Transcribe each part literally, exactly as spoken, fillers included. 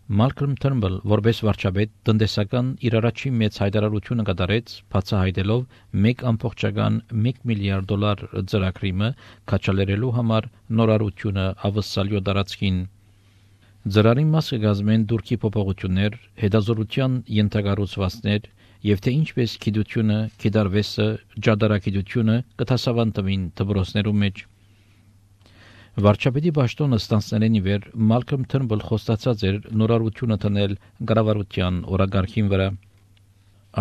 Մալքոմ Թըրնբլ, որպես վարչապետ, տնտեսական իր առաջին մեծ հայտարարությունը կատարեց, բացահայտելով մեկ ամբողջական մեկ միլիարդ դոլար ծրագրիմը քաչալերելու համար նորարարությունը ավսալյո դարածքին։ Ծրարի մասը կազմեն դուրքի փոփոխություններ, հետազոտության ենթակառուցվածքներ եւ թե ինչպես գիտությունը, գիտարվեստը, ջադարագիտությունը կտասավանդվին դպրոցներում մեջ։ Վարչապետի պաշտոնը ստանցնելեն ի վեր Մալքոմ Թըրնբլ խոստացած էր նորարարությունը տնել կառավարության օրագարկին վրա։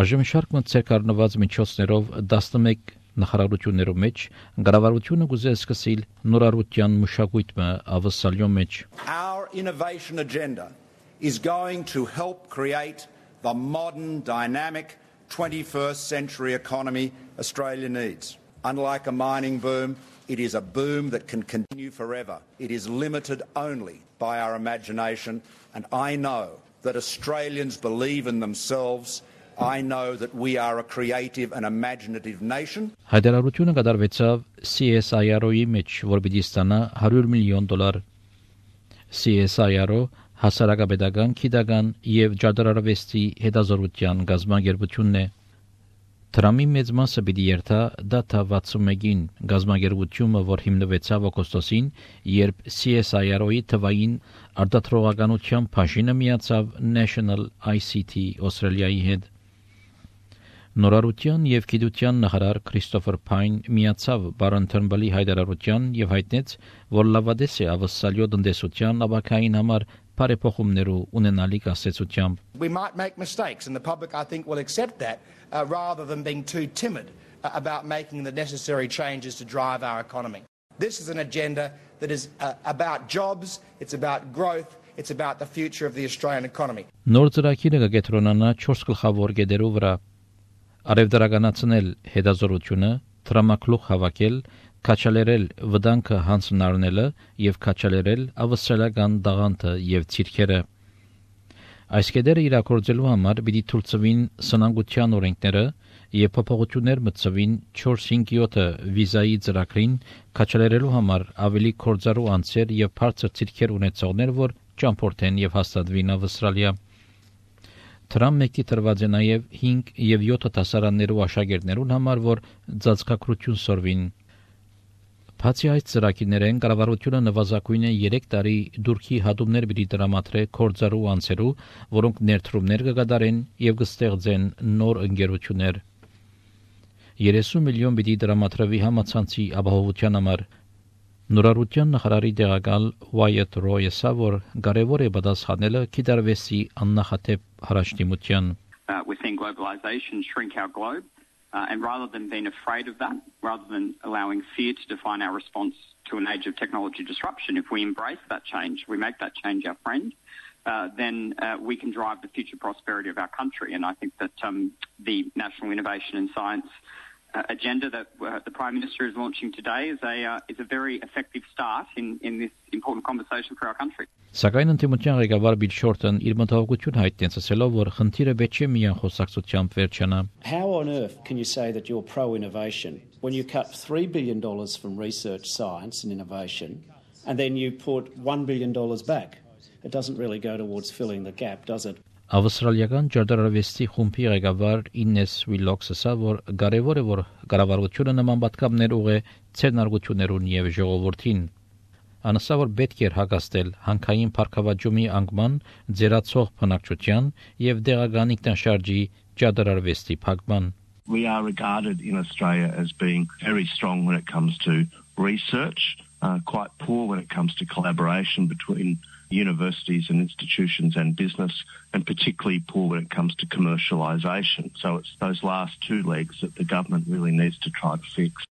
Այժմ շարք ցերկառնված միջոցներով տասնմեկ նախարարություններում մեջ կառավարությունը գուզե սկսել նորարարության մշակույթը ավսալյո մեջ։ Our innovation agenda is going to help create the modern dynamic twenty-first century economy Australia needs. Unlike a mining boom, it is a boom that can continue forever. It is limited only by our imagination, and I know that Australians believe in themselves. I know that we are a creative and imaginative nation. Հայտարարությունը կատարվեցավ C S I R O-ի մեջ, որ պիտի ստանա հարյուր միլիոն դոլար։ C S I R O հասարակապետական, գիտական եւ ջադարարվեստի հետազոտության գազագերբությունն է։ Տրամի մեծ մասը պիտի երթա դատա վաթսունմեկին գազագերբությունը, որ հիմնվեցավ օգոստոսին, երբ C S I R O-ի թվային արտադրողականության բաժինը միացավ National I C T Australia-ի հետ։ Նորարարության եւ գիտության նախարար Քրիստոֆեր Փայն միացավ Բարոն Թըրնբլի հայտարարության եւ հայտնեց, որ լավադես է ավսալյո տնտեսության ապակային համար բարեփոխումներու ունենալիք ասեցությամբ։ We might make mistakes and the public I think will accept that uh, rather than being too timid uh, about making the necessary changes to drive our economy. This is an agenda that is uh, about jobs, it's about growth, it's about the future of the Australian economy. Նոր ծրագիրը կգետրոնանա չորս գլխավոր գեդերու վրա։ Արևդարականացնել հետազոտությունը, տրամակլուխ հավաքել, քաչալերել վտանգը հանձնարարնելը եւ քաչալերել ավստրալիական դաղանթը եւ ցիրքերը։ Այս կետերը իրակորձելու համար պիտի թույլտվին սնանկության օրենքները եւ փոփոխություններ մտցվին չորս-հինգ յոթ վիզայի ծրագրին քաչալերելու համար ավելի կորձարու անձեր եւ բարձր ցիրքեր ունեցողներ, որ ճամփորդեն եւ հաստատվին Ավստրալիա։ Թրամ մեկի տրված է նաեւ հինգ եւ յոթ դասարաններու աշակերտներուն համար, որ ծածկակրություն սորվին։ Բացի այս ծրագիրներեն կառավարությունը նվազագույնը երեք տարի դուրքի հատումներ պիտի տրամադրե կորձարու անձերու, որոնք ներդրումներ կկատարեն եւ կստեղծեն նոր ընկերություններ։ երեսուն միլիոն պիտի տրամադրվի համացանցի ապահովության համար։ Նորարարության նախարարի տեղակալ Wyatt Roy ասա, որ կարևոր է պատասխանելը գիտարվեստի աննախադեպ հարաշտիմության։ We're seeing globalization shrink our globe. Uh, and rather than being afraid of that, rather than allowing fear to define our response to an age of technology disruption, if we embrace that change, we make that change our friend, uh, then uh, we can drive the future prosperity of our country. And I think that um, the National Innovation and Science uh, agenda that uh, the Prime Minister is launching today is a uh, is a very effective start in, in this important conversation for our country. Սակայն ընդդիմության ղեկավար Բիլ Շորտն իր մտահոգություն հայտնեց, ասելով, որ խնդիրը պետք է միայն խոսակցությամբ վերջանա։ How on earth can you say that you're pro-innovation when you cut three billion dollars from research, science and innovation, and then you put one billion dollars back? It doesn't really go towards filling the gap, does it? Ավստրալիական ջարդարավեստի խումբի ղեկավար Ինես Վիլոքսը ասա, որ կարևոր է, որ կառավարությունը նման պատգամներ ուղղե ցերնարգություններուն եւ ժողովրդին։ Անասա, որ պետք է հագաստել հանքային փառքավաճումի անկման, ձերացող բնակչության եւ դեղական ինքնաշարժի ջարդարավեստի փակման։ We are regarded in Australia as being very strong when it comes to research, uh, quite poor when it comes to collaboration between universities and institutions and business, and particularly poor when it comes to commercialisation. So it's those last two legs that the government really needs to try to fix.